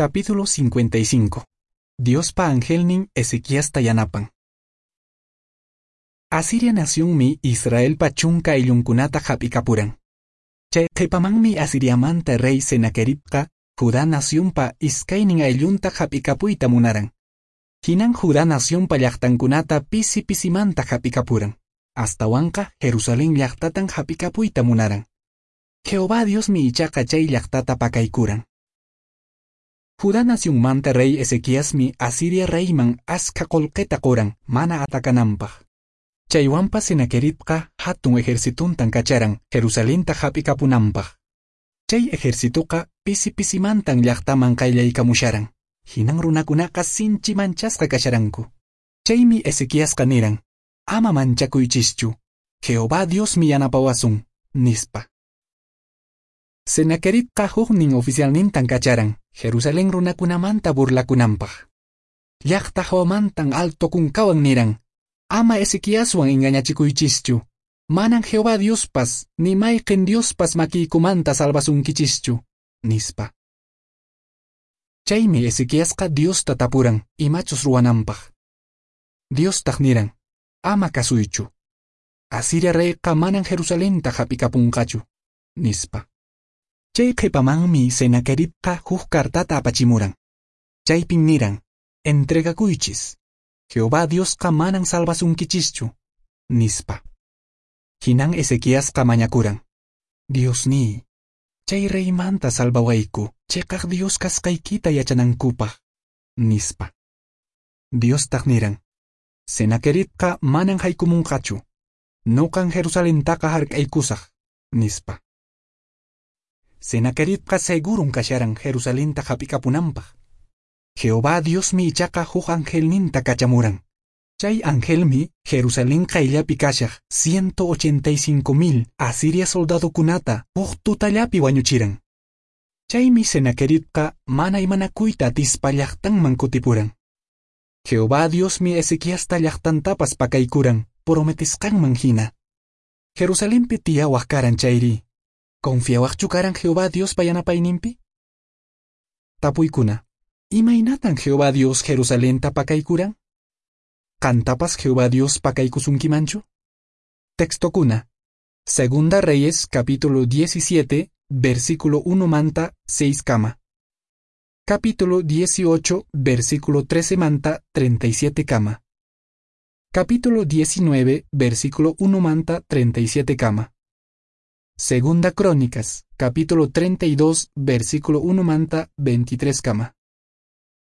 Capítulo 55. Diospa angelnin Ezequiasta yanapan. Asiria nacionmi Israelpa chunka ayllunkunata hap'ikapuran. Chay qhipamanmi Asiriamanta rey Senaqueribqa Judá nacionpa iskaynin ayllunta hap'ikapuyta munaran. Hinan Judá nacionpa llaqtankunata pisi pisimanta hap'ikapuran. Astawanqa Jerusalén llaqtatan hap'ikapuyta munaran. Jehová Diosmi ichaqa chay llaqtata pakaykuran. Judá nacionmanta rey Ezequiasmi Asiria reyman askha qullqita quran mana atakananpaq. Chaywanpas Senaqueribqa hatun ejercituntan kacharan Jerusalenta hap'ikapunanpaq. Chay ejercituqa pisi pisimantan llaqtaman qayllaykamusharan. Hinan runakunaqa sinchi manchasqa kasharanku. Chaymi Ezequiasqa niran: "Ama manchakuychischu, Jehová Diosmi yanapawasun", nispa. Senaqueribqa huknin oficialnintan kacharan Jerusalén runakunamanta burlakunanpaq. Llaqta hawamantan alto kunkawan niran: "Ama Ezequiaswan engañachikuychischu. Manan Jehová Diospas ni mayqin Diospas makiykumanta salvasunkichischu", nispa. Chaymi Ezequiasqa Diosta tapuran imachus ruwananpaq. Diostaq niran: "Ama kasuychu. Asiria reyqa manan Jerusalenta hap'ikapunqachu", nispa. Chay qhipamanmi Senaqueribqa huk cartata apachimuran. Chaypin niran: "Entregakuychis. Jehová Diosqa manan salvasunkichischu", nispa. Hinan Ezequiasqa mañakuran: "Diosniy, chay reymanta salvawayku, chiqaq Dios kasqaykita yachanankupaq", nispa. Diostaq niran: "Senaqueribqa manan haykumunqachu. Nuqan Jerusalentaqa hark'aykusaq", nispa. Senaqueribqa segurun kasharan Jerusalenta hap'ikapunanpaq. Jehová Diosmi ichaqa huk angelninta kachamuran. Chay angelmi Jerusalén qayllapi kashaq 185,000 Asiria soldadokunata huk tutallapi wañuchiran. Chaymi Senaqueribqa mana imanakuyta atispa llaqtanman kutipuran. Jehová Diosmi Ezequiasta llaqtantapas pakaykuran prometisqanman hina. Jerusalenpi tiyawaq karan chayri, ¿confiawaqchu karan Jehová Diospa yanapayninpi? Tapuykuna: ¿Imaynatan Jehová Dios Jerusalenta pakaykuran? ¿Qantapas Jehová Dios pakaykusunkimanchu? Textokuna: Segunda Reyes capítulo 17, versículo 1 manta 6 kama. Capítulo 18, versículo 13 manta 37 kama. Capítulo 19, versículo 1 manta 37 kama. Segunda Crónicas, capítulo 32, versículo 1 manta 23 kama.